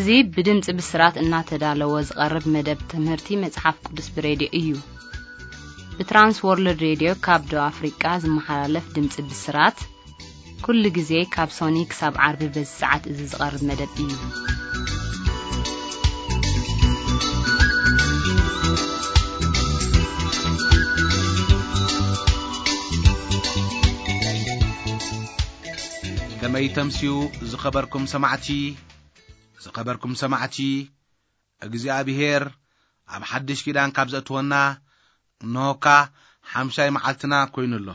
እዚ ብድምፂ ብስራት እናተዳለወ ዝቐርብ መደብ ትምህርቲ መጽሓፍ ቅዱስ ብሬድዮ እዩ። ብትራንስ ወርልድ ሬድዮ ካብ ደቡብ ኣፍሪቃ ዝመሓላለፍ ድምፂ ብስራት፣ ኩሉ ግዜ ካብ ሶኒ ክሳብ ዓርቢ በዚ ሰዓት እዚ ዝቐርብ መደብ እዩ። ከመይ ተምስዩ ዝኸበርኩም ሰማዕቲ፣ ዝኸበርኩም ሰማዕቲ፣ እግዚኣብሔር ኣብ ሓድሽ ኪዳን ካብ ዘእትወና፣ እንሆካ ሓምሻይ መዓልትና ኮይኑ ኣሎ።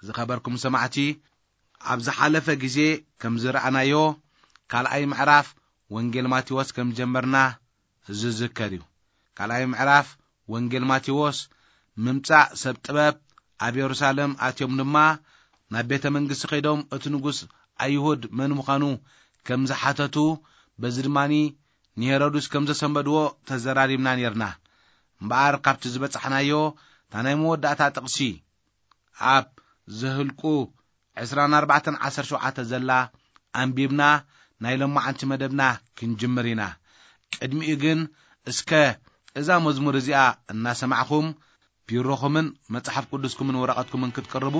ዝኸበርኩም ሰማዕቲ፣ ኣብ ዝሓለፈ ግዜ ከም ዝረኣናዮ፣ ካልኣይ ምዕራፍ ወንጌል ማቴዎስ ከም ጀመርና ዝዝከር እዩ። ካልኣይ ምዕራፍ ወንጌል ማቴዎስ፣ ምምጻእ ሰብ ጥበብ፣ ኣብ የሩሳሌም ኣትዮም ድማ ናብ ቤተ መንግስቲ ከይዶም እቲ ንጉስ ኣይሁድ መን ምዃኑ ከም ዝሓተቱ፣ በዚ ድማኒ ንሄሮድስ ከም ዘሰንበድዎ ተዘራሪብና ኔርና። እምበኣር ካብቲ ዝበጻሕናዮ፣ እታ ናይ መወዳእታ ጥቕሲ ኣብ ዘህልቁ ዕስራን ኣርባዕተን ዓሰርተ ሸውዓተ ዘላ ኣንቢብና ናይ ሎማዓንቲ መደብና ክንጅምር ኢና። ቅድሚኡ ግን እስከ እዛ መዝሙር እዚኣ እናሰማዕኹም ቢሮኹምን መጽሓፍ ቅዱስኩምን ወረቐትኩምን ክትቅርቡ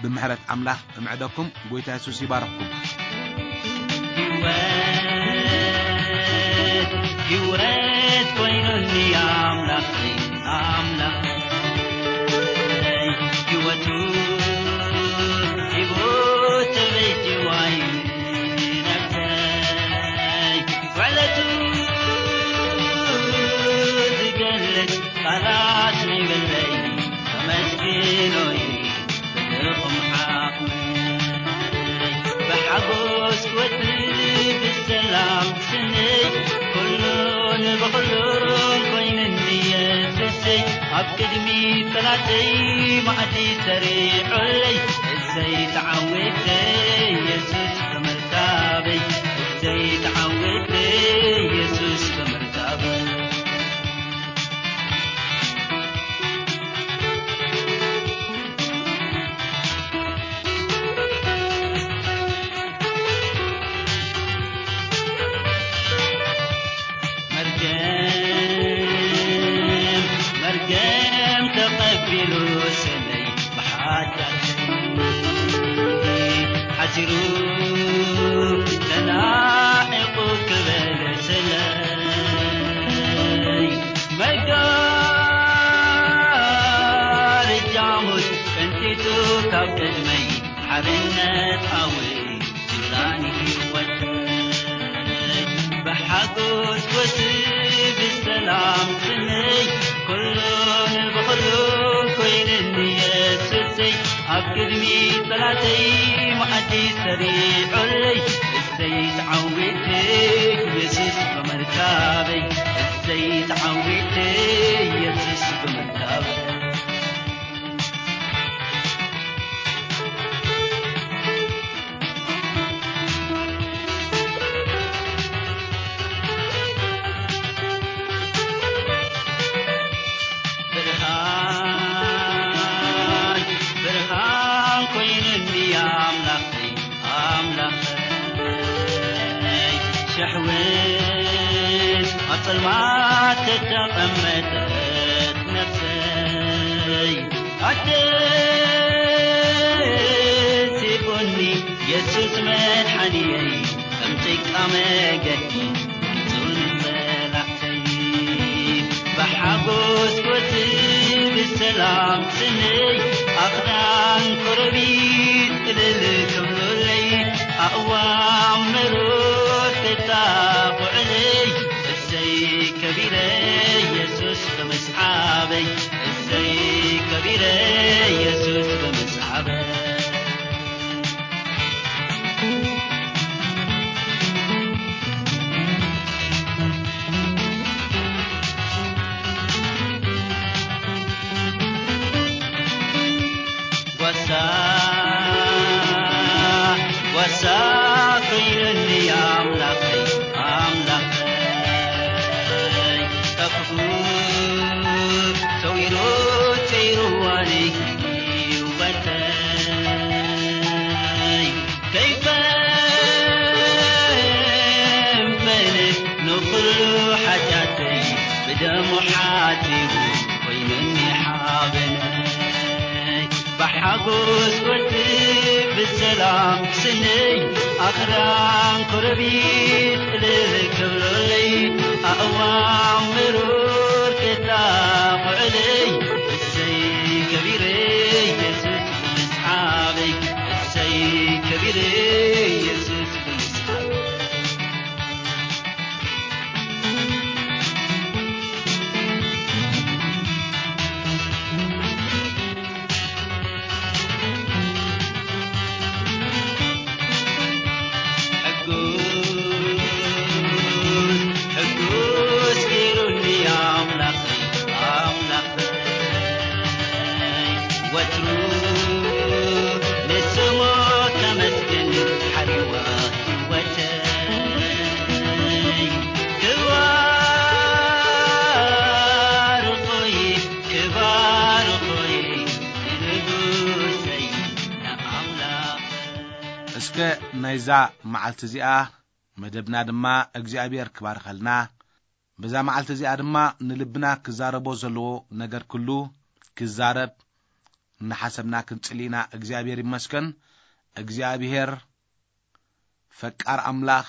ብምሕረት ኣምላኽ እምዕደኩም። ጎይታ የሱስ ይባርኽኩም። ህይወት ኮይኑኒ ኣምላኸይ፣ ኣምላኸይ፣ ህይወቱ ሂቡ ተበጅዋይ ነብሰይ። ውዕለቱ ዝገልጽ ቃላት ነይብለይ፣ ከመስግኖ እዩ ብልኹም ሓቕመይ። ብሓጎስ ክወጽእ ብሰላም ስነይ፣ ኩሉን ብኹሉን ኮይኑኒ የሱሰይ። ኣብ ቅድሚ ጠላተይ ማዕዲ ሰሪዑለይ፣ እሰይ ተዓዊተ የሱስ ብምርካበይ፣ እሰይ ተዓዊተ የሱስ ብምርካበይ። መርገም፣ መርገም ተቐቢሉ ስመይ ብሓጢኣተይ ሓሲሩ ተናዒቑ ክበለ ስለይ። መጋረጃ ሞት ቀንጢጡ ካብ ቅድመይ ሓርነት ኣወይ ጅላኒ ህይወተይ። ብሓጎስ ወሲ ብሰላም ስነይ ኩሉን ብኹሉን ኮይንኒ የሱሰይ። ኣብ ቅድሚ ጠላተይ መኣዲ ሰሪዑለይ እሰይ ተዓዊተ የሱስ ብምርካበይ። እሰይ ተዓዊተ የሱስ ብምርካበይ። ብርሃን፣ ብርሃን ኮይኑኒ ኣምላኸይ፣ ኣምላኸይ። ሸሕውን ኣብ ጸልማት ተተቐመጠት ነፍሰይ ኣደሲቑኒ የሱስ መድሓኒየይ። ከም ጭቃ መገዲ ንጹር ንጸላእተይ። ብሓጎስ ክወጽእ ብሰላም ስነይ ኣኽዳን ኮረቢት እልል ክብሉለይ ኣእዋም መሮር ተጣቕዑለይ። እሰይ ከቢረ የሱስ ብምስዓበይ። እሰይ ከቢረ የሱስ ብምስዓበይ። ጓሳ፣ ጓሳ ኮይኑኒ ኣምላኸይ፣ ኣምላኸይ። ካብ ክፉ ሰዊሩ ጸይርዋኒ። ስወዲ ብሰላም ክስነይ ኣኽራን ኮረቢት እልል ክብለለይ ኣእዋም ምሩር ክታኹዕለይ እሰይ ከቢረ ኢየሱስ ምስሓበይ እሰይ ከቢረ ኢየሱስ ምስሓበይ ሕጉስ ሕጉስ ገይሩኒ ኣምላኽ ኣምላኽ ወትሩ ንስሙ ከመስግን ሓሪዋ ህይወተይ ክባርኾይ ክባርኾይ ንጉሰይ ንኣምላኽ እስከ ናይዛ መዓልቲ እዚኣ መደብና ድማ እግዚኣብሔር ክባርኸልና፣ በዛ መዓልቲ እዚኣ ድማ ንልብና ክዛረቦ ዘለዎ ነገር ኩሉ ክዛረብ እናሓሰብና ክንጽሊ ኢና። እግዚኣብሔር ይመስገን። እግዚኣብሔር ፈቃር ኣምላኽ፣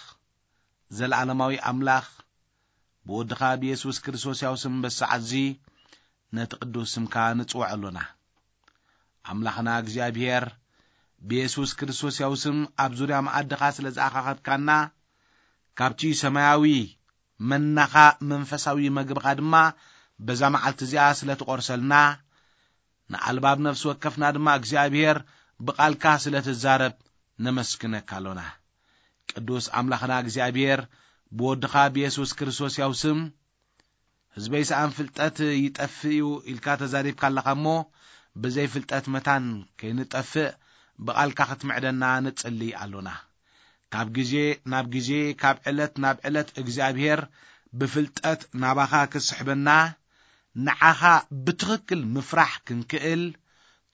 ዘለዓለማዊ ኣምላኽ፣ ብወድኻ ብየሱስ ክርስቶስ ያው ስም በሰዓት እዚ ነቲ ቅዱስ ስምካ ንጽውዕ ኣሎና። ኣምላኽና እግዚኣብሔር ብየሱስ ክርስቶስ ያው ስም ኣብ ዙርያ መኣድኻ ስለ ዝኣኻኸብካና፣ ካብቲ ሰማያዊ መናኻ መንፈሳዊ መግብኻ ድማ በዛ መዓልቲ እዚኣ ስለ ትቖርሰልና፣ ንኣልባብ ነፍሲ ወከፍና ድማ እግዚኣብሔር ብቓልካ ስለ ትዛረብ ነመስግነካ ኣሎና። ቅዱስ ኣምላኽና እግዚኣብሔር ብወድኻ ብየሱስ ክርስቶስ ያው ስም ህዝበይ ሰኣን ፍልጠት ይጠፍእ እዩ ኢልካ ተዛሪብካ ኣለኻ እሞ፣ ብዘይ ፍልጠት መታን ከይንጠፍእ ብቓልካ ክትምዕደና ንጽሊ ኣሎና። ካብ ግዜ ናብ ግዜ፣ ካብ ዕለት ናብ ዕለት እግዚኣብሔር ብፍልጠት ናባኻ ክስሕበና፣ ንዓኻ ብትኽክል ምፍራሕ ክንክእል፣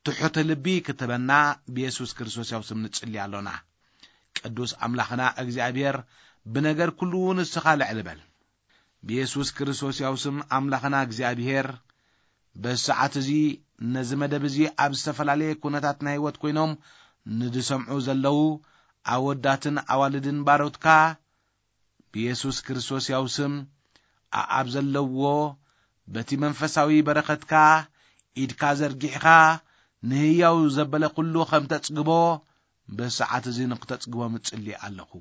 ትሑት ልቢ ክትበና ብየሱስ ክርስቶስ ያው ስም ንጽሊ ኣሎና። ቅዱስ ኣምላኽና እግዚኣብሔር ብነገር ኩሉ ንስኻ ልዕሊ በል። ብየሱስ ክርስቶስ ያው ስም ኣምላኽና እግዚኣብሔር በዚ ሰዓት እዚ ነዚ መደብ እዚ ኣብ ዝተፈላለየ ኩነታት ናይ ህይወት ኮይኖም ንድሰምዑ ዘለዉ ኣወዳትን ኣዋልድን ባሮትካ ብየሱስ ክርስቶስ ያው ስም ኣኣብ ዘለዎ በቲ መንፈሳዊ በረኸትካ ኢድካ ዘርጊሕኻ ንህያው ዘበለ ኩሉ ከም ተጽግቦ በዚ ሰዓት እዚ ንክተጽግቦም እጽሊ ኣለኹ።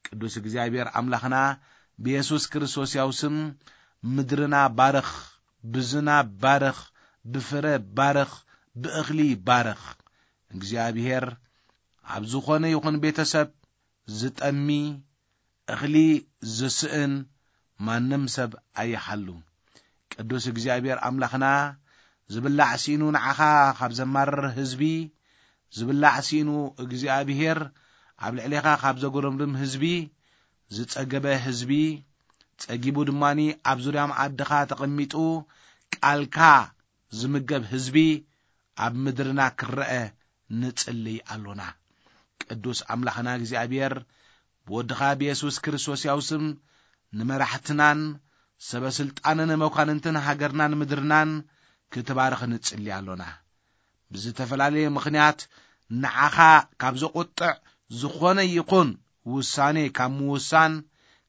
ቅዱስ እግዚኣብሔር ኣምላኽና ብየሱስ ክርስቶስ ያው ስም ምድርና ባርኽ፣ ብዝናብ ባርኽ፣ ብፍረ ባርኽ፣ ብእኽሊ ባርኽ። እግዚኣብሔር ኣብ ዝኾነ ይኹን ቤተሰብ ዝጠሚ እኽሊ ዝስእን ማንም ሰብ ኣይሓሉ። ቅዱስ እግዚኣብሔር ኣምላኽና ዝብላዕ ሲኢኑ ንዓኻ ካብ ዘማርር ህዝቢ፣ ዝብላዕ ሲኢኑ እግዚኣብሔር ኣብ ልዕሌኻ ካብ ዘጎረምርም ህዝቢ፣ ዝጸገበ ህዝቢ፣ ጸጊቡ ድማኒ ኣብ ዙርያ መኣድኻ ተቐሚጡ ቃልካ ዝምገብ ህዝቢ ኣብ ምድርና ክረአ ንጽልይ ኣሎና። ቅዱስ ኣምላኽና እግዚኣብሔር ብወድኻ ብየሱስ ክርስቶስ ያው ስም ንመራሕትናን ሰበ ስልጣንን መኳንንትን ሃገርናን ምድርናን ክትባርኽ ንጽሊ ኣሎና። ብዝተፈላለየ ምኽንያት ንዓኻ ካብ ዘቑጥዕ ዝኾነ ይኹን ውሳኔ ካብ ምውሳን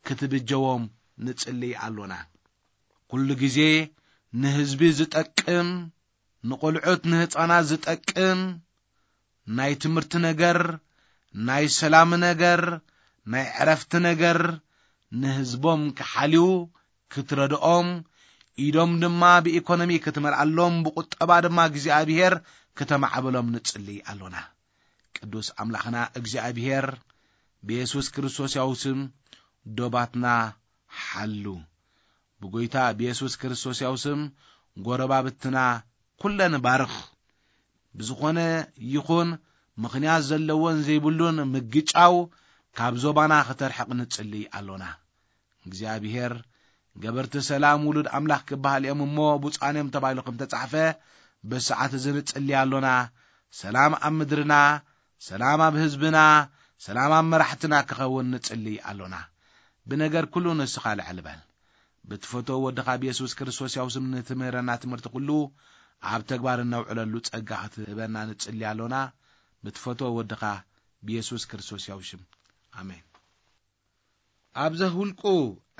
ክትብጀዎም ንጽሊ ኣሎና። ኩሉ ግዜ ንህዝቢ ዝጠቅም፣ ንቖልዑት ንህፃናት ዝጠቅም፣ ናይ ትምህርቲ ነገር፣ ናይ ሰላም ነገር፣ ናይ ዕረፍቲ ነገር ንህዝቦም ክሓልዩ ክትረድኦም፣ ኢዶም ድማ ብኢኮኖሚ ክትመልኣሎም፣ ብቁጠባ ድማ እግዚኣብሔር ክተማዕብሎም ንጽሊ ኣሎና። ቅዱስ ኣምላኽና እግዚኣብሔር ብየሱስ ክርስቶስ ያው ስም ዶባትና ሓሉ። ብጎይታ ብየሱስ ክርስቶስ ያው ስም ጎረባብትና ኩለን ባርኽ። ብዝኾነ ይኹን ምኽንያት ዘለዎን ዘይብሉን ምግጫው ካብ ዞባና ክተርሕቕ ንጽሊ ኣሎና። እግዚኣብሔር ገበርቲ ሰላም ውሉድ ኣምላኽ ክበሃል እዮም እሞ ብፁዓን እዮም ተባሂሉ ከም ተጻሕፈ በሰዓት እዚ ንጽሊ ኣሎና። ሰላም ኣብ ምድርና፣ ሰላም ኣብ ህዝብና፣ ሰላም ኣብ መራሕትና ክኸውን ንጽሊ ኣሎና። ብነገር ኩሉ ንስኻ ልዕል በል። ብትፈትዎ ወድኻ ብየሱስ ክርስቶስ ያው ስም ንትምህረና ትምህርቲ ኩሉ ኣብ ተግባር እነውዕለሉ ጸጋ ክትህበና ንጽሊ ኣሎና። ብትፈትዎ ወድኻ ብየሱስ ክርስቶስ ያው ሽም፣ ኣሜን። ኣብ ዘሁልቁ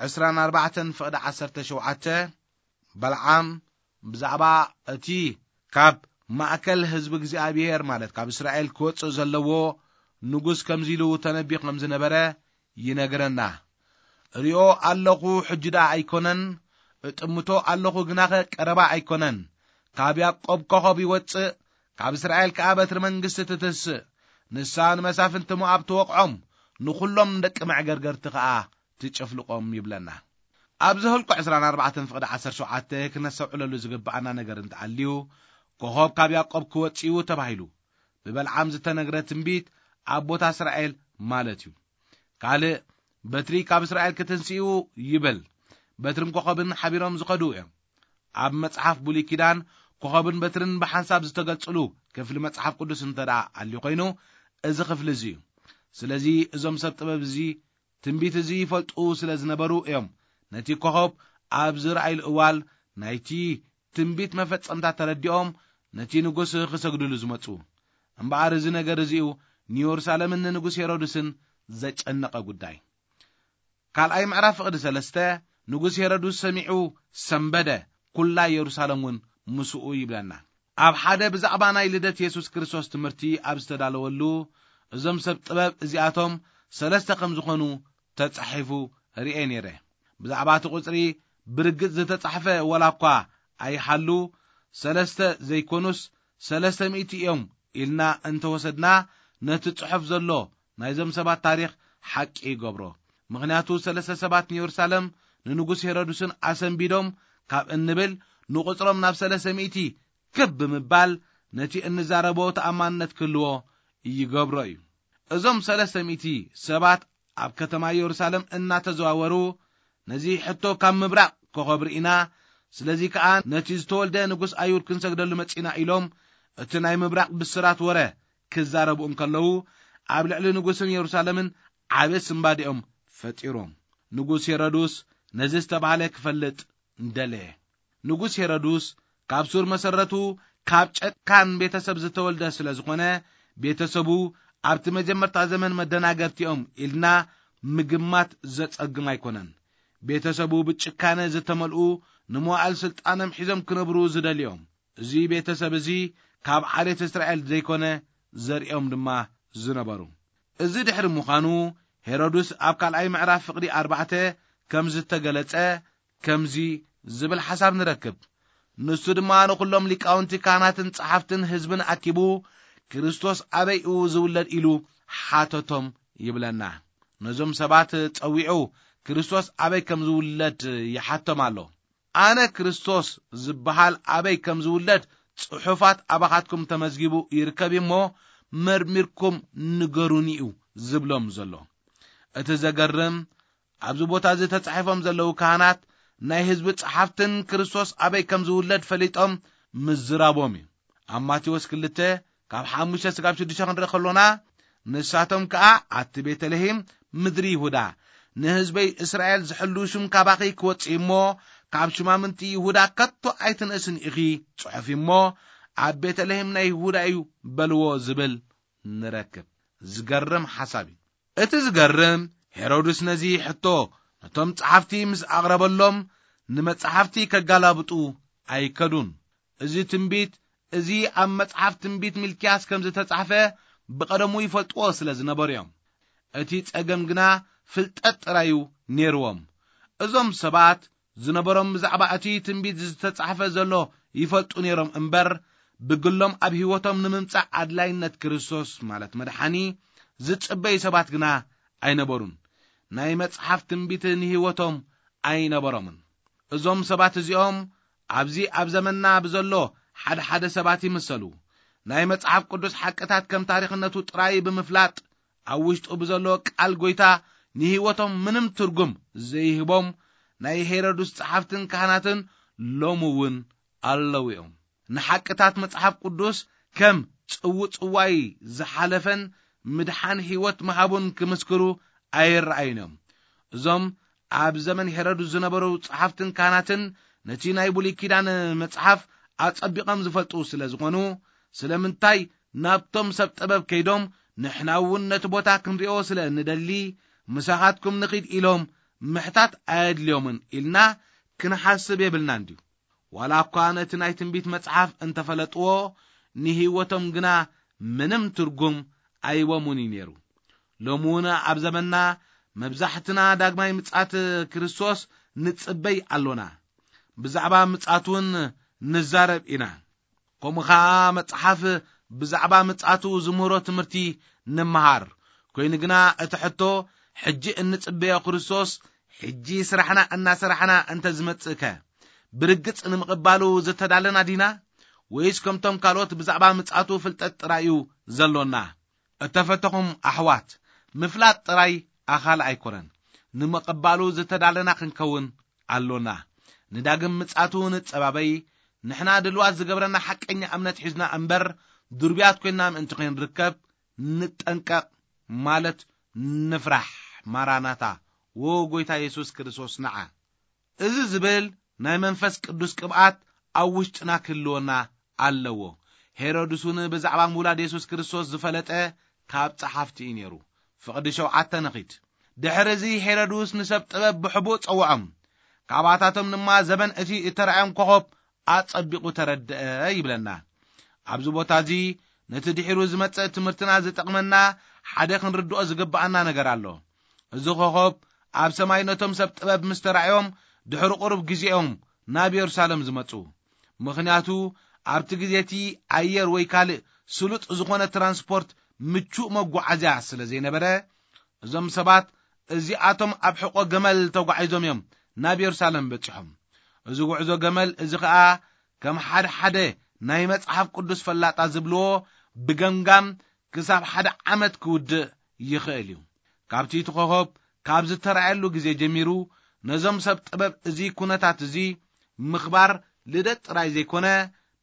ዕስራን ኣርባዕተን ፍቕዲ ዓሰርተ ሸውዓተ፣ በልዓም ብዛዕባ እቲ ካብ ማእከል ህዝቢ እግዚኣብሔር፣ ማለት ካብ እስራኤል ክወጽእ ዘለዎ ንጉስ፣ ከምዚ ኢሉ ተነቢዩ ከም ዝነበረ ይነግረና። እሪኦ ኣለኹ፣ ሕጂ ደኣ ኣይኮነን፣ እጥምቶ ኣለኹ፣ ግናኸ ቀረባ ኣይኮነን። ካብ ያዕቆብ ኮኸብ ይወጽእ፣ ካብ እስራኤል ከኣ በትሪ መንግስቲ ትትስእ። ንሳ ንመሳፍንቲ ሞኣብ ትወቕዖም፣ ንኹሎም ደቂ መዕገርገርቲ ከኣ ትጭፍልቖም ይብለና። ኣብ ዘኍልቁ ዕስራን ኣርባዕተን ፍቕዲ ዓሰርተ ሸውዓተ ክነስተውዕለሉ ዝግብኣና ነገር እንተኣልዩ፣ ኮኸብ ካብ ያዕቆብ ክወጽእ እዩ ተባሂሉ ብበልዓም ዝተነግረ ትንቢት ኣብ ቦታ እስራኤል ማለት እዩ። ካልእ፣ በትሪ ካብ እስራኤል ክትንስኡ ይብል። በትርን ኮኸብን ሓቢሮም ዝኸዱ እዮም። ኣብ መጽሓፍ ብሉይ ኪዳን ኮኸብን በትርን ብሓንሳብ ዝተገልጽሉ ክፍሊ መጽሓፍ ቅዱስ እንተ ደኣ ኣልዩ ኮይኑ፣ እዚ ክፍሊ እዚ እዩ። ስለዚ እዞም ሰብ ጥበብ እዚ ትንቢት እዚ ይፈልጡ ስለ ዝነበሩ እዮም ነቲ ኮኸብ ኣብ ዝረኣይሉ እዋል ናይቲ ትንቢት መፈጸምታ ተረዲኦም ነቲ ንጉስ ክሰግድሉ ዝመጹ። እምበኣር እዚ ነገር እዚኡ ንየሩሳሌምን ንንጉስ ሄሮድስን ዘጨነቐ ጉዳይ። ካልኣይ ምዕራፍ ፍቕዲ ሰለስተ፣ ንጉስ ሄሮድስ ሰሚዑ ሰንበደ፣ ኩላ የሩሳሌም እውን ምስኡ ይብለና። ኣብ ሓደ ብዛዕባ ናይ ልደት የሱስ ክርስቶስ ትምህርቲ ኣብ ዝተዳለወሉ፣ እዞም ሰብ ጥበብ እዚኣቶም ሰለስተ ከም ዝኾኑ ተጻሒፉ ርኤ ነይረ። ብዛዕባ እቲ ቁጽሪ ብርግጽ ዝተጻሕፈ ወላ እኳ ኣይሃሉ፣ ሰለስተ ዘይኮኑስ ሰለስተ ሚእቲ እዮም ኢልና እንተወሰድና፣ ነቲ ጽሑፍ ዘሎ ናይዞም ሰባት ታሪኽ ሓቂ ይገብሮ። ምኽንያቱ ሰለስተ ሰባት ንየሩሳሌም ንንጉስ ሄሮድስን ኣሰንቢዶም ካብ እንብል፣ ንቁጽሮም ናብ ሰለስተ ሚእቲ ክብ ብምባል ነቲ እንዛረቦ ተኣማንነት ክህልዎ ይገብሮ እዩ። እዞም ሰለስተ ሚእቲ ሰባት ኣብ ከተማ የሩሳሌም እናተዘዋወሩ፣ ነዚ ሕቶ ካብ ምብራቕ ኮኸብ ርኢና፣ ስለዚ ከኣ ነቲ ዝተወልደ ንጉስ ኣይሁድ ክንሰግደሉ መጺና ኢሎም እቲ ናይ ምብራቕ ብስራት ወረ ክዛረቡ እንከለዉ፣ ኣብ ልዕሊ ንጉስን የሩሳሌምን ዓቢ ስንባዲኦም ፈጢሮም። ንጉስ ሄሮድስ ነዚ ዝተባህለ ክፈልጥ ደለየ። ንጉስ ሄሮድስ ካብ ሱር መሰረቱ ካብ ጨካን ቤተሰብ ዝተወልደ ስለ ዝኾነ፣ ቤተሰቡ ኣብቲ መጀመርታ ዘመን መደናገርቲኦም ኢልና ምግማት ዘጸግም ኣይኮነን። ቤተሰቡ ብጭካነ ዝተመልኡ፣ ንመዋእል ስልጣኖም ሒዞም ክነብሩ ዝደልዮም፣ እዚ ቤተሰብ እዚ ካብ ዓሌት እስራኤል ዘይኮነ ዘርእዮም ድማ ዝነበሩ። እዚ ድሕሪ ምዃኑ ሄሮድስ ኣብ ካልኣይ ምዕራፍ ፍቕዲ ኣርባዕተ ከም ዝተገለጸ ከምዚ ዝብል ሓሳብ ንረክብ። ንሱ ድማ ንኹሎም ሊቃውንቲ ካህናትን ጸሓፍትን ህዝብን ኣኪቡ፣ ክርስቶስ ኣበይ እዩ ዝውለድ ኢሉ ሓተቶም ይብለና። ነዞም ሰባት ጸዊዑ ክርስቶስ ኣበይ ከም ዝውለድ ይሓቶም ኣሎ። ኣነ ክርስቶስ ዝበሃል ኣበይ ከም ዝውለድ ጽሑፋት ኣባኻትኩም ተመዝጊቡ ይርከብ እሞ፣ መርሚርኩም ንገሩኒ እዩ ዝብሎም ዘሎ። እቲ ዘገርም፣ ኣብዚ ቦታ እዚ ተጻሒፎም ዘለዉ ካህናት ናይ ህዝቢ ጸሓፍትን ክርስቶስ ኣበይ ከም ዝውለድ ፈሊጦም ምዝራቦም እዩ። ኣብ ማቴዎስ ክልተ ካብ ሓሙሽተ ስጋብ ሽዱሽተ ክንርኢ ከሎና፣ ንሳቶም ከኣ ኣቲ ቤተልሔም ምድሪ ይሁዳ፣ ንህዝበይ እስራኤል ዝሕሉ ሽም ካባኺ ክወጽእ እሞ፣ ካብ ሽማምንቲ ይሁዳ ከቶ ኣይትንእስን ኢኺ ጽሑፍ እሞ፣ ኣብ ቤተልሔም ናይ ይሁዳ እዩ በልዎ ዝብል ንረክብ። ዝገርም ሓሳብ እዩ። እቲ ዝገርም፣ ሄሮድስ ነዚ ሕቶ ነቶም ጸሓፍቲ ምስ ኣቕረበሎም፣ ንመጻሕፍቲ ከጋላብጡ ኣይከዱን። እዚ ትንቢት እዚ ኣብ መጽሓፍ ትንቢት ሚልክያስ ከም ዝተጻሕፈ ብቐደሙ ይፈልጥዎ ስለ ዝነበሩ እዮም። እቲ ጸገም ግና ፍልጠት ጥራይ እዩ ነይርዎም። እዞም ሰባት ዝነበሮም ብዛዕባ እቲ ትንቢት ዝተጻሕፈ ዘሎ ይፈልጡ ነይሮም እምበር፣ ብግሎም ኣብ ህይወቶም ንምምጻእ ኣድላይነት ክርስቶስ፣ ማለት መድሓኒ፣ ዝጽበዩ ሰባት ግና ኣይነበሩን። ናይ መጽሓፍ ትንቢት ንህይወቶም ኣይነበሮምን። እዞም ሰባት እዚኦም ኣብዚ ኣብ ዘመንና ብዘሎ ሓደ ሓደ ሰባት ይምሰሉ። ናይ መጽሓፍ ቅዱስ ሓቅታት ከም ታሪኽነቱ ጥራይ ብምፍላጥ፣ ኣብ ውሽጡ ብዘሎ ቃል ጐይታ ንህይወቶም ምንም ትርጉም ዘይህቦም ናይ ሄሮድስ ጸሓፍትን ካህናትን ሎሚ እውን ኣለዉ እዮም። ንሓቅታት መጽሓፍ ቅዱስ ከም ጽውጽዋይ ዝሓለፈን ምድሓን ህይወት ምሃቡን ክምስክሩ ኣይረኣዩን እዮም። እዞም ኣብ ዘመን ሄሮድስ ዝነበሩ ጸሓፍትን ካህናትን ነቲ ናይ ብሉይ ኪዳን መጽሓፍ ኣጸቢቖም ዝፈልጡ ስለ ዝኾኑ፣ ስለምንታይ ናብቶም ሰብ ጥበብ ከይዶም፣ "ንሕና እውን ነቲ ቦታ ክንሪኦ ስለ እንደሊ፣ ምሳኻትኩም ንኺድ" ኢሎም ምሕታት ኣየድልዮምን ኢልና ክንሓስብ የብልናን ድዩ? ዋላ እኳ ነቲ ናይ ትንቢት መጽሓፍ እንተፈለጥዎ፣ ንህይወቶም ግና ምንም ትርጉም ኣይቦምን እዩ ነይሩ። ሎሚ እውን ኣብ ዘመንና መብዛሕትና ዳግማይ ምጽኣት ክርስቶስ ንጽበይ ኣሎና። ብዛዕባ ምጽኣት እውን ንዛረብ ኢና። ከምኡ ኸኣ መጽሓፍ ብዛዕባ ምጽኣቱ ዝምህሮ ትምህርቲ ንምሃር። ኮይኑ ግና እቲ ሕቶ፣ ሕጂ እንጽበዮ ክርስቶስ ሕጂ ስራሕና እናሰራሕና እንተ ዝመጽእከ፣ ብርግጽ ንምቕባሉ ዝተዳለና ዲና? ወይስ ከምቶም ካልኦት ብዛዕባ ምጽኣቱ ፍልጠት ጥራይ እዩ ዘሎና? እተፈተኹም ኣሕዋት፣ ምፍላጥ ጥራይ ኣኻሊ ኣይኮነን። ንምቕባሉ ዝተዳለና ክንከውን ኣሎና። ንዳግም ምጽኣቱ ንጸባበይ። ንሕና ድልዋት ዝገብረና ሓቀኛ እምነት ሒዝና እምበር፣ ድርብያት ኮይንና ምእንቲ ከይንርከብ ንጠንቀቕ፣ ማለት ንፍራሕ። ማራናታ፣ ወ ጎይታ የሱስ ክርስቶስ ንዓ። እዚ ዝብል ናይ መንፈስ ቅዱስ ቅብኣት ኣብ ውሽጥና ክህልወና ኣለዎ። ሄሮድስ እውን ብዛዕባ ምውላድ የሱስ ክርስቶስ ዝፈለጠ ካብ ጸሓፍቲ እዩ ነይሩ። ፍቕዲ ሸውዓተ ንኺድ። ድሕሪ እዚ ሄሮድስ ንሰብ ጥበብ ብሕቡእ ጸውዖም። ካባታቶም ድማ ዘበን እቲ እተራእዮም ኮኸብ ኣጸቢቑ ተረድአ ይብለና። ኣብዚ ቦታ እዚ ነቲ ድሒሩ ዝመጽእ ትምህርትና ዝጠቕመና ሓደ ክንርድኦ ዝግብኣና ነገር ኣሎ። እዚ ኮኸብ ኣብ ሰማይ ነቶም ሰብ ጥበብ ምስ ተራእዮም ድሕሪ ቁሩብ ግዜኦም ናብ የሩሳሌም ዝመጹ። ምኽንያቱ ኣብቲ ግዜ እቲ ኣየር ወይ ካልእ ስሉጥ ዝኾነ ትራንስፖርት ምቹእ መጓዓዝያ ስለ ዘይነበረ፣ እዞም ሰባት እዚኣቶም ኣብ ሕቖ ገመል ተጓዒዞም እዮም ናብ የሩሳሌም በጺሖም። እዚ ጉዕዞ ገመል እዚ ኸኣ ከም ሓደ ሓደ ናይ መጽሓፍ ቅዱስ ፈላጣ ዝብልዎ ብገምጋም ክሳብ ሓደ ዓመት ክውድእ ይኽእል እዩ። ካብቲ እቲ ኮኸብ ካብ ዝተራእየሉ ግዜ ጀሚሩ ነዞም ሰብ ጥበብ እዚ ኩነታት እዚ ምኽባር ልደት ጥራይ ዘይኮነ፣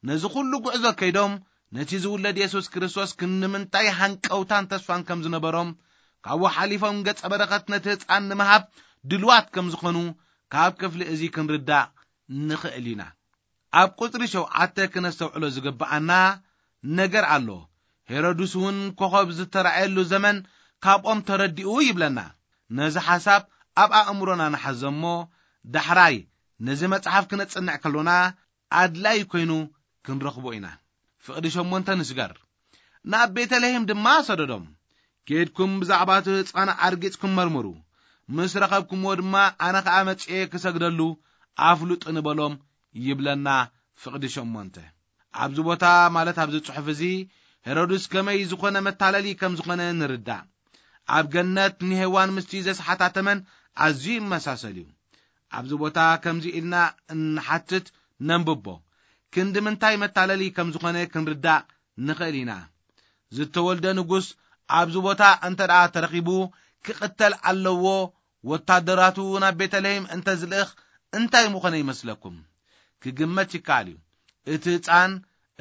ነዚ ኩሉ ጉዕዞ ከይዶም ነቲ ዝውለድ የሱስ ክርስቶስ ክንዲ ምንታይ ሃንቀውታን ተስፋን ከም ዝነበሮም፣ ካብኡ ሓሊፎም ገጸ በረኸት ነቲ ህጻን ንምሃብ ድልዋት ከም ዝኾኑ ካብ ክፍሊ እዚ ክንርዳእ ንኽእል ኢና። ኣብ ቁጽሪ ሸውዓተ ክነስተውዕሎ ዝግብኣና ነገር ኣሎ። ሄሮድስ እውን ኮኸብ ዝተራእየሉ ዘመን ካብኦም ተረዲኡ ይብለና። ነዚ ሓሳብ ኣብ ኣእምሮና ንሓዞ እሞ፣ ዳሕራይ ነዚ መጽሓፍ ክነጽንዕ ከሎና ኣድላይ ኮይኑ ክንረኽቦ ኢና። ፍቕዲ ሸሞንተ ንስገር። ናብ ቤተልሔም ድማ ሰደዶም። "ኬድኩም ብዛዕባ እቲ ህጻን ኣርጊጽኩም መርምሩ፣ ምስ ረኸብኩምዎ ድማ ኣነ ኸኣ መጺኤ ክሰግደሉ ኣፍልጡ" ንበሎም ይብለና ፍቕዲ ሸሞንተ። ኣብዚ ቦታ፣ ማለት ኣብዚ ጽሑፍ እዚ፣ ሄሮድስ ከመይ ዝኾነ መታለሊ ከም ዝኾነ ንርዳእ። ኣብ ገነት ንሄዋን ምስቲ ዘስሓታ ተመን ኣዝዩ ይመሳሰል እዩ። ኣብዚ ቦታ ከምዚ ኢልና እንሓትት ነንብቦ። ክንዲ ምንታይ መታለሊ ከም ዝኾነ ክንርዳእ ንኽእል ኢና። ዝተወልደ ንጉስ ኣብዚ ቦታ እንተ ደኣ ተረኺቡ፣ ክቕተል ኣለዎ። ወታደራቱ ናብ ቤተልሔም እንተ ዝልእኽ እንታይ ምኾነ ይመስለኩም? ክግመት ይከኣል እዩ። እቲ ህጻን፣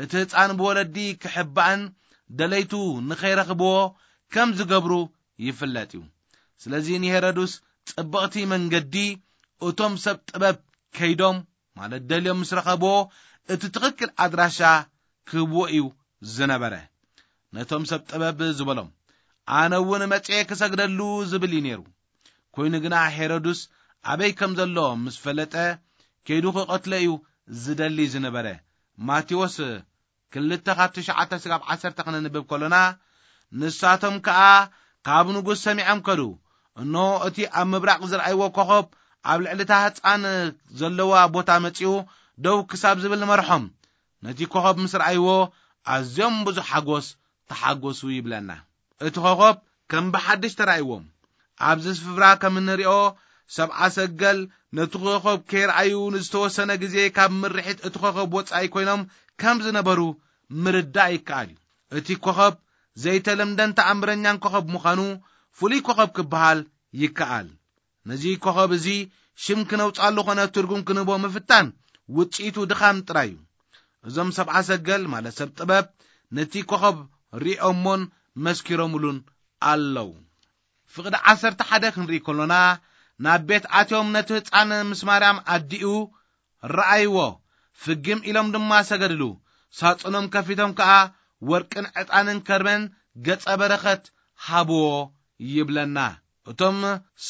እቲ ህጻን ብወለዲ ክሕባእን ደለይቱ ንኸይረኽብዎ ከም ዝገብሩ ይፍለጥ እዩ። ስለዚ ንሄሮድስ ጽብቕቲ መንገዲ፣ እቶም ሰብ ጥበብ ከይዶም፣ ማለት ደልዮም ምስ ረኸብዎ፣ እቲ ትኽክል ኣድራሻ ክህብዎ እዩ ዝነበረ። ነቶም ሰብ ጥበብ ዝበሎም፣ "ኣነ እውን መጽኤ ክሰግደሉ" ዝብል እዩ ነይሩ። ኮይኑ ግና ሄሮድስ ኣበይ ከም ዘሎ ምስ ፈለጠ፣ ከይዱ ክቐትሎ እዩ ዝደሊ ዝነበረ። ማቴዎስ ክልተ ካብ ትሽዓተ ስጋብ ዓሰርተ ክነንብብ ከሎና፣ ንሳቶም ከኣ ካብ ንጉስ ሰሚዖም ከዱ። እንሆ፣ እቲ ኣብ ምብራቕ ዝረኣይዎ ኮኸብ ኣብ ልዕሊ እታ ህጻን ዘለዋ ቦታ መጺኡ ደው ክሳብ ዝብል መርሖም። ነቲ ኮኸብ ምስ ረኣይዎ፣ ኣዝዮም ብዙሕ ሓጎስ ተሓጎሱ ይብለና። እቲ ኮኸብ ከም ብሓድሽ ተራእይዎም። ኣብዚ ስፍራ ከም እንሪኦ፣ ሰብዓ ሰገል ነቲ ኮኸብ ከይረኣዩ ንዝተወሰነ ግዜ ካብ ምርሒት እቲ ኮኸብ ወጻኢ ኮይኖም ከም ዝነበሩ ምርዳእ ይከኣል እዩ። እቲ ኮኸብ ዘይተለምደን ተኣምረኛን ኮኸብ ምዃኑ ፍሉይ ኮኸብ ክበሃል ይከኣል። ነዚ ኮኸብ እዚ ሽም ክነውጻሉ ኾነ ትርጉም ክንህቦ ምፍታን ውጽኢቱ ድኻም ጥራይ እዩ። እዞም ሰብዓ ሰገል፣ ማለት ሰብ ጥበብ፣ ነቲ ኮኸብ ሪኦሞን መስኪሮምሉን ኣለዉ። ፍቕዲ ዓሰርተ ሓደ ክንርኢ ከሎና፣ ናብ ቤት ኣትዮም ነቲ ህጻን ምስ ማርያም ኣዲኡ ረኣይዎ። ፍግም ኢሎም ድማ ሰገድሉ። ሳጽኖም ከፊቶም ከኣ ወርቅን ዕጣንን ከርበን ገጸ በረኸት ሃብዎ ይብለና። እቶም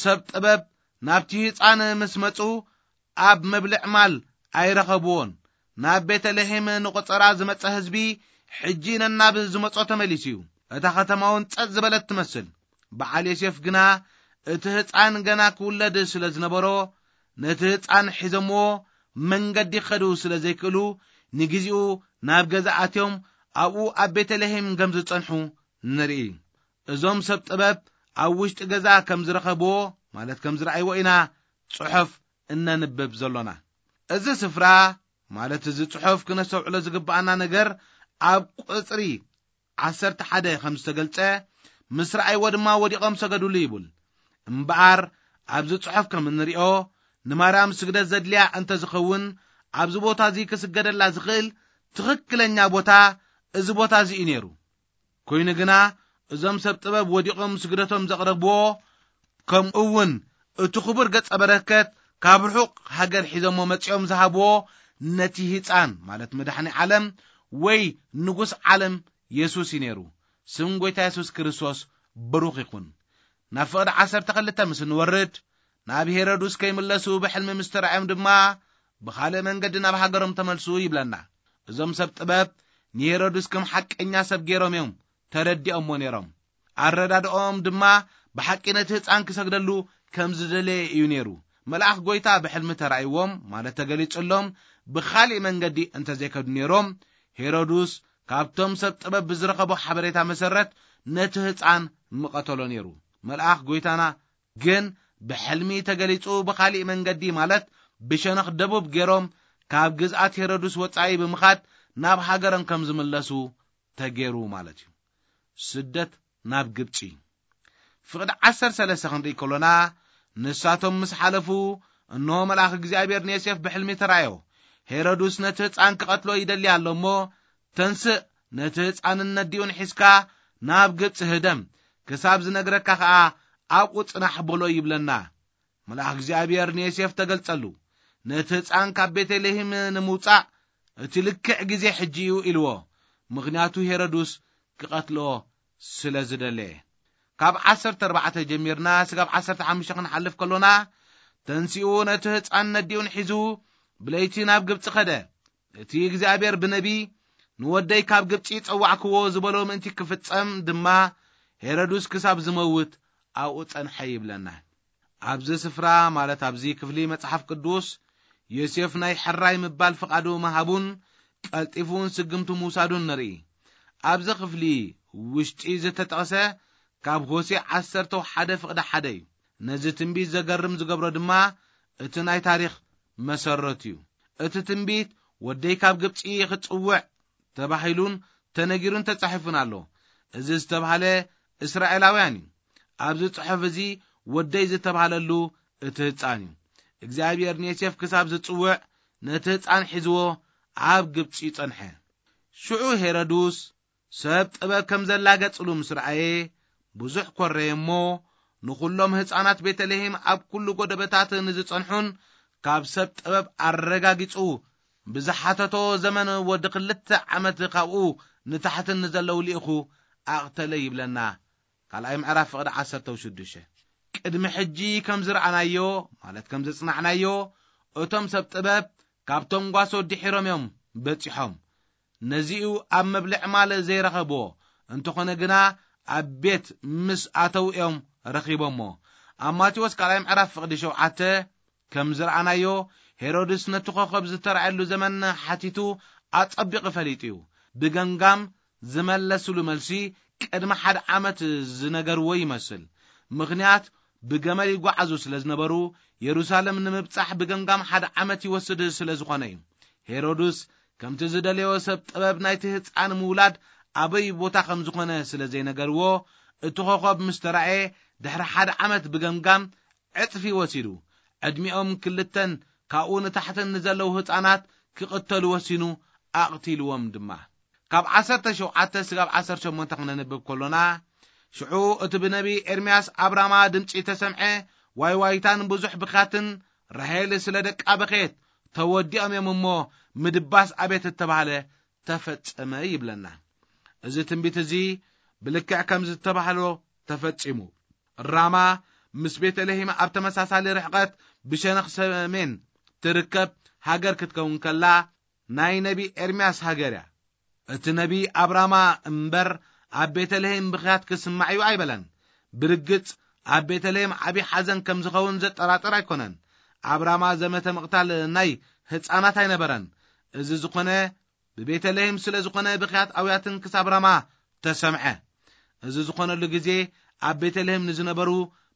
ሰብ ጥበብ ናብቲ ህጻን ምስ መጹ፣ ኣብ መብልዕ ማል ኣይረኸብዎን። ናብ ቤተልሔም ንቆጸራ ዝመጸ ህዝቢ፣ ሕጂ ነናብ ዝመጾ ተመሊሱ እዩ። እታ ከተማ እውን ጸጥ ዝበለት ትመስል። በዓል ዮሴፍ ግና፣ እቲ ህጻን ገና ክውለድ ስለ ዝነበሮ፣ ነቲ ህጻን ሒዞምዎ መንገዲ ክኸዱ ስለ ዘይክእሉ፣ ንግዜኡ ናብ ገዛ ኣትዮም ኣብኡ ኣብ ቤተልሔም ከም ዝጸንሑ ንርኢ። እዞም ሰብ ጥበብ ኣብ ውሽጢ ገዛ ከም ዝረኸብዎ፣ ማለት ከም ዝረኣይዎ ኢና ጽሑፍ እነንብብ ዘሎና። እዚ ስፍራ፣ ማለት እዚ ጽሑፍ ክነስተውዕሎ ዝግብኣና ነገር፣ ኣብ ቁጽሪ ዓሰርተ ሓደ ከም ዝተገልጸ፣ ምስ ረኣይዎ ድማ ወዲቖም ሰገዱሉ ይብል። እምበኣር ኣብዚ ጽሑፍ ከም እንሪኦ፣ ንማርያም ስግደት ዘድልያ እንተ ዝኸውን፣ ኣብዚ ቦታ እዚ ክስገደላ ዝኽእል ትኽክለኛ ቦታ እዚ ቦታ እዚ እዩ ነይሩ። ኮይኑ ግና እዞም ሰብ ጥበብ ወዲቖም ስግደቶም ዘቕረብዎ፣ ከምኡ እውን እቲ ክቡር ገጸ በረከት ካብ ርሑቕ ሃገር ሒዞሞ መጺኦም ዝሃብዎ ነቲ ህጻን፣ ማለት መድሓኒ ዓለም ወይ ንጉስ ዓለም የሱስ እዩ ነይሩ። ስም ጎይታ የሱስ ክርስቶስ ብሩኽ ይኹን። ናብ ፍቕዲ ዓሰርተ ክልተ ምስ እንወርድ፣ ናብ ሄሮድስ ከይምለሱ ብሕልሚ ምስ ተራእዮም ድማ፣ ብኻልእ መንገዲ ናብ ሃገሮም ተመልሱ ይብለና። እዞም ሰብ ጥበብ ንሄሮድስ ከም ሓቀኛ ሰብ ገይሮም እዮም ተረዲኦምዎ ነይሮም። ኣረዳድኦም ድማ ብሓቂ ነቲ ህጻን ክሰግደሉ ከም ዝደለየ እዩ ነይሩ። መልኣኽ ጎይታ ብሕልሚ ተራእይዎም፣ ማለት ተገሊጹሎም፣ ብኻልእ መንገዲ እንተዘይከዱ ነይሮም፣ ሄሮድስ ካብቶም ሰብ ጥበብ ብዝረኸቦ ሓበሬታ መሰረት ነቲ ህጻን ምቐተሎ ነይሩ። መልኣኽ ጎይታና ግን ብሕልሚ ተገሊጹ፣ ብኻልእ መንገዲ፣ ማለት ብሸነኽ ደቡብ ገይሮም ካብ ግዝኣት ሄሮድስ ወጻኢ ብምኻድ ናብ ሃገሮም ከም ዝምለሱ ተገይሩ ማለት እዩ። ስደት ናብ ግብጺ። ፍቕዲ ዓሰርተ ሰለስተ ክንርኢ ከሎና፣ ንሳቶም ምስ ሓለፉ፣ እንሆ መልኣኽ እግዚኣብሔር ንዮሴፍ ብሕልሚ ተራእዮ። ሄሮድስ ነቲ ህጻን ክቐትሎ ይደሊ ኣሎ እሞ፣ ተንስእ፣ ነቲ ህጻንን ነዲኡን ሒዝካ ናብ ግብጺ ህደም፣ ክሳብ ዝነግረካ ኸኣ ኣብኡ ጽናሕ በሎ ይብለና። መልኣኽ እግዚኣብሔር ንዮሴፍ ተገልጸሉ። ነቲ ህጻን ካብ ቤተልሔም ንምውጻእ እቲ ልክዕ ግዜ ሕጂ እዩ ኢልዎ። ምኽንያቱ ሄሮድስ ክቐትሎ ስለ ዝደለየ። ካብ ዓሰርተ ኣርባዕተ ጀሚርና ስጋብ ዓሰርተ ሓሙሽተ ክንሓልፍ ከሎና፣ ተንሲኡ ነቲ ህጻን ነዲኡን ሒዙ ብለይቲ ናብ ግብጺ ኸደ። እቲ እግዚኣብሔር ብነቢ፣ "ንወደይ ካብ ግብጺ ጸዋዕክዎ" ዝበሎ ምእንቲ ክፍጸም ድማ፣ ሄሮድስ ክሳብ ዝመውት ኣብኡ ጸንሐ ይብለና። ኣብዚ ስፍራ፣ ማለት ኣብዚ ክፍሊ መጽሓፍ ቅዱስ፣ ዮሴፍ ናይ ሕራይ ምባል ፍቓዱ ምሃቡን ቀልጢፉን ስግምቱ ምውሳዱን ንርኢ። ኣብዚ ክፍሊ ውሽጢ ዝተጠቕሰ ካብ ሆሴዕ ዓሰርተ ሓደ ፍቕዲ ሓደ እዩ። ነዚ ትንቢት ዘገርም ዝገብሮ ድማ እቲ ናይ ታሪኽ መሰረት እዩ። እቲ ትንቢት "ወደይ ካብ ግብጺ ክጽውዕ" ተባሂሉን ተነጊሩን ተጻሒፉን ኣሎ። እዚ ዝተባህለ እስራኤላውያን እዩ። ኣብዚ ጽሑፍ እዚ ወደይ ዝተባህለሉ እቲ ህጻን እዩ። እግዚኣብሔር ንዮሴፍ ክሳብ ዝጽውዕ ነቲ ህጻን ሒዝዎ ኣብ ግብጺ ጸንሐ። ሽዑ ሄሮድስ ሰብ ጥበብ ከም ዘላ ገጽሉ ምስ ረኣየ፣ ብዙሕ ኮረየ እሞ፣ ንኹሎም ህጻናት ቤተልሔም ኣብ ኩሉ ጎደበታት ንዝጸንሑን ካብ ሰብ ጥበብ ኣረጋጊጹ ብዝሓተቶ ዘመን ወዲ ክልተ ዓመት ካብኡ ንታሕትን ንዘለዉ ልኢኹ ኣቕተለ ይብለና። ካልኣይ ምዕራፍ ፍቕዲ ዓሰርተ ሽዱሽተ። ቅድሚ ሕጂ ከም ዝረኣናዮ፣ ማለት ከም ዘጽናዕናዮ፣ እቶም ሰብ ጥበብ ካብቶም ጓሶ ድሒሮም እዮም በጺሖም። ነዚኡ ኣብ መብልዕ ማል ዘይረኸብዎ፣ እንተኾነ ግና ኣብ ቤት ምስ ኣተው እዮም ረኺቦሞ። ኣብ ማቴዎስ ካልኣይ ምዕራፍ ፍቕዲ ሸውዓተ ከም ዝረኣናዮ፣ ሄሮድስ ነቲ ኮኸብ ዝተራእየሉ ዘመን ሓቲቱ ኣጸቢቑ ፈሊጡ እዩ። ብገምጋም ዝመለስሉ መልሲ ቅድሚ ሓደ ዓመት ዝነገርዎ ይመስል። ምኽንያት ብገመል ይጓዓዙ ስለ ዝነበሩ፣ የሩሳሌም ንምብጻሕ ብገምጋም ሓደ ዓመት ይወስድ ስለ ዝኾነ እዩ። ሄሮድስ ከምቲ ዝደለዮ ሰብ ጥበብ ናይቲ ህጻን ምውላድ ኣበይ ቦታ ከም ዝኾነ ስለ ዘይነገርዎ፣ እቲ ኮኸብ ምስ ተራእየ ድሕሪ ሓደ ዓመት ብገምጋም ዕጽፊ ወሲዱ፣ ዕድሚኦም ክልተን ካብኡ ንታሕትን ንዘለዉ ህጻናት ክቕተሉ ወሲኑ፣ ኣቕቲልዎም ድማ። ካብ ዓሰርተ ሸውዓተ ስጋብ ዓሰርተ ሸሞንተ ክነንብብ ከሎና፣ ሽዑ እቲ ብነቢ ኤርምያስ ኣብ ራማ ድምጺ ተሰምዐ፣ ዋይዋይታን ብዙሕ ብኽያትን፣ ራሄል ስለ ደቃ በኸየት፣ ተወዲኦም እዮም እሞ፣ ምድባስ ኣቤት እተባህለ ተፈጸመ ይብለና። እዚ ትንቢት እዚ ብልክዕ ከም ዝተባህሎ ተፈጺሙ። ራማ ምስ ቤተልሔም ኣብ ተመሳሳሊ ርሕቐት ብሸነኽ ሰሜን ትርከብ ሃገር ክትከውን ከላ፣ ናይ ነቢ ኤርምያስ ሃገር እያ። እቲ ነቢ ኣብ ራማ እምበር ኣብ ቤተልሔም ብኽያት ክስማዕ እዩ ኣይበለን። ብርግጽ ኣብ ቤተልሔም ዓቢ ሓዘን ከም ዝኸውን ዘጠራጥር ኣይኮነን። ኣብ ራማ ዘመተ ምቕታል ናይ ህጻናት ኣይነበረን። እዚ ዝኾነ ብቤተልሔም ስለ ዝኾነ ብኽያት ኣውያትን ክሳብ ራማ ተሰምዐ። እዚ ዝኾነሉ ግዜ ኣብ ቤተልሔም ንዝነበሩ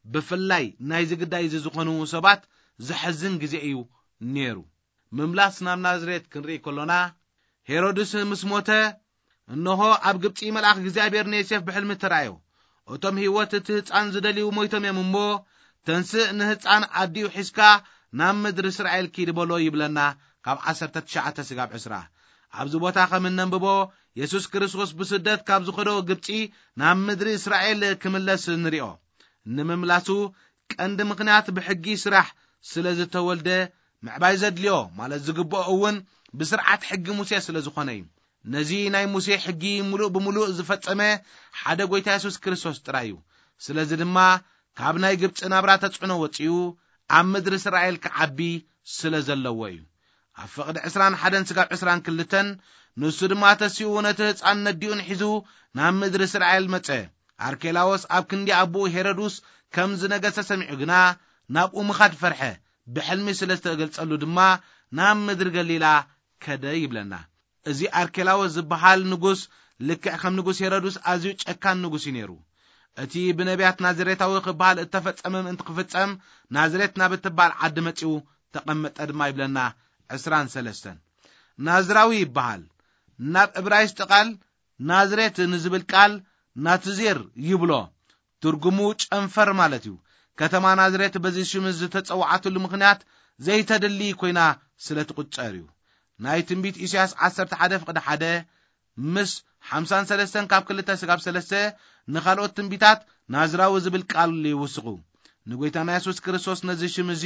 ብፍላይ ናይ ዝግዳይ እዚ ዝኾኑ ሰባት ዘሕዝን ግዜ እዩ ነይሩ። ምምላስ ናብ ናዝሬት ክንርኢ ከሎና፣ ሄሮድስ ምስ ሞተ፣ እንሆ ኣብ ግብጺ መልኣኽ እግዚኣብሔር ንዮሴፍ ብሕልሚ ተራእዮ። እቶም ህይወት እቲ ህጻን ዝደልዩ ሞይቶም እዮም እሞ፣ ተንስእ ንህጻን ኣዲኡ ሒዝካ ናብ ምድሪ እስራኤል ኪድ በሎ ይብለና፣ ካብ ዓሰርተ ትሽዓተ ስጋብ ዕስራ። ኣብዚ ቦታ ከም እነንብቦ፣ የሱስ ክርስቶስ ብስደት ካብ ዝኸዶ ግብጺ ናብ ምድሪ እስራኤል ክምለስ ንሪኦ። ንምምላሱ ቀንዲ ምኽንያት ብሕጊ ስራሕ ስለ ዝተወልደ፣ ምዕባይ ዘድልዮ ማለት ዝግብኦ እውን ብስርዓት ሕጊ ሙሴ ስለ ዝኾነ እዩ። ነዚ ናይ ሙሴ ሕጊ ምሉእ ብምሉእ ዝፈጸመ ሓደ ጎይታ የሱስ ክርስቶስ ጥራይ እዩ። ስለዚ ድማ ካብ ናይ ግብጺ ናብራ ተጽዕኖ ወጺኡ ኣብ ምድሪ እስራኤል ክዓቢ ስለ ዘለዎ እዩ። ኣብ ፍቕዲ ዕስራን ሓደን ስጋብ ዕስራን ክልተን፣ ንሱ ድማ ተሲኡ ነቲ ህጻን ነዲኡን ሒዙ ናብ ምድሪ እስራኤል መጸ። ኣርኬላዎስ ኣብ ክንዲ ኣቦኡ ሄሮድስ ከም ዝነገሰ ሰሚዑ ግና ናብኡ ምኻድ ፈርሐ። ብሕልሚ ስለ ዝተገልጸሉ ድማ ናብ ምድሪ ገሊላ ከደ ይብለና። እዚ ኣርኬላዎስ ዝበሃል ንጉስ ልክዕ ከም ንጉስ ሄሮድስ ኣዝዩ ጨካን ንጉስ እዩ ነይሩ። እቲ ብነቢያት ናዝሬታዊ ክበሃል እተፈጸመ ምእንቲ ክፍጸም ናዝሬት ናብ እትበሃል ዓዲ መጺኡ ተቐመጠ ድማ ይብለና። ዕስራን ሰለስተን ናዝራዊ ይበሃል። ናብ እብራይስጢ ቃል ናዝሬት ንዝብል ቃል ናትዚር ይብሎ። ትርጉሙ ጨንፈር ማለት እዩ። ከተማ ናዝሬት በዚ ሽም ዝተጸውዓትሉ ምኽንያት ዘይተድሊ ኮይና ስለ ትቑጸር እዩ። ናይ ትንቢት ኢሳያስ ዓሰርተ ሓደ ፍቕዲ ሓደ ምስ ሓምሳን ሰለስተን ካብ ክልተ ስጋብ ሰለስተ ንኻልኦት ትንቢታት ናዝራዊ ዝብል ቃል ይውስኹ። ንጎይታና የሱስ ክርስቶስ ነዚ ሽም እዚ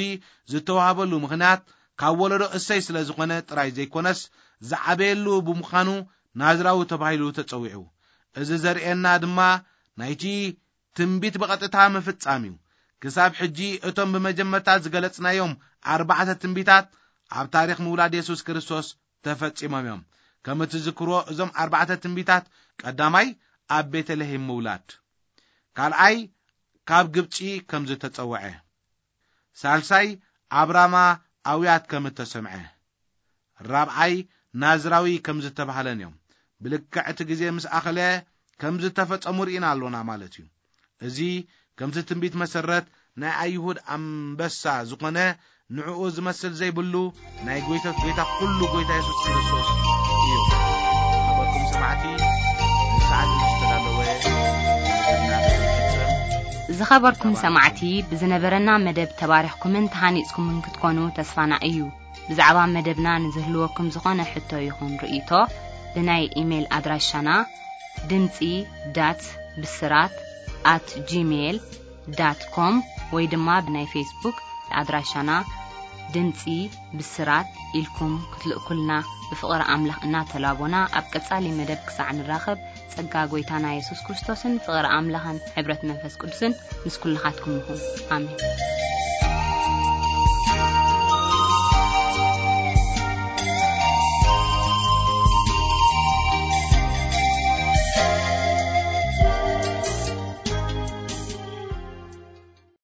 ዝተዋህበሉ ምኽንያት ካብ ወለዶ እሰይ ስለ ዝኾነ ጥራይ ዘይኮነስ፣ ዝዓበየሉ ብምዃኑ ናዝራዊ ተባሂሉ ተጸዊዑ። እዚ ዘርእየና ድማ ናይቲ ትንቢት ብቐጥታ ምፍጻም እዩ። ክሳብ ሕጂ እቶም ብመጀመርታ ዝገለጽናዮም ኣርባዕተ ትንቢታት ኣብ ታሪኽ ምውላድ የሱስ ክርስቶስ ተፈጺሞም እዮም። ከም እትዝክርዎ፣ እዞም ኣርባዕተ ትንቢታት፣ ቀዳማይ ኣብ ቤተልሔም ምውላድ፣ ካልኣይ ካብ ግብጺ ከም ዝተጸውዐ፣ ሳልሳይ ኣብ ራማ ኣውያት ከም እተሰምዐ፣ ራብዓይ ናዝራዊ ከም ዝተባህለን እዮም። ብልክዕ እቲ ግዜ ምስ ኣኸለ ከም ዝተፈጸሙ ርኢና ኣሎና ማለት እዩ። እዚ ከምቲ ትንቢት መሰረት ናይ ኣይሁድ ኣንበሳ ዝኾነ ንዕኡ ዝመስል ዘይብሉ ናይ ጎይቶት ጎይታ ኩሉ ጎይታ የሱስ ክርስቶስ እዩ። ዝኸበርኩም ሰማዕቲ፣ ንሰዓት ዝተዳለወ መደብና ንፍጽም። ዝኸበርኩም ሰማዕቲ፣ ብዝነበረና መደብ ተባሪኽኩምን ተሃኒጽኩምን ክትኮኑ ተስፋና እዩ። ብዛዕባ መደብና ንዝህልወኩም ዝኾነ ሕቶ ይኹን ርእይቶ፣ ብናይ ኢሜይል ኣድራሻና ድምጺ ዳት ብስራት ኣት ጂሜይል ዳት ኮም ወይ ድማ ብናይ ፌስቡክ ኣድራሻና ድምጺ ብስራት ኢልኩም ክትልእኩልና ብፍቕሪ ኣምላኽ እናተላቦና፣ ኣብ ቀጻሊ መደብ ክሳዕ ንራኸብ፣ ጸጋ ጎይታና የሱስ ክርስቶስን ፍቕሪ ኣምላኽን ሕብረት መንፈስ ቅዱስን ምስ ኩልኻትኩም ይኹን። ኣሜን።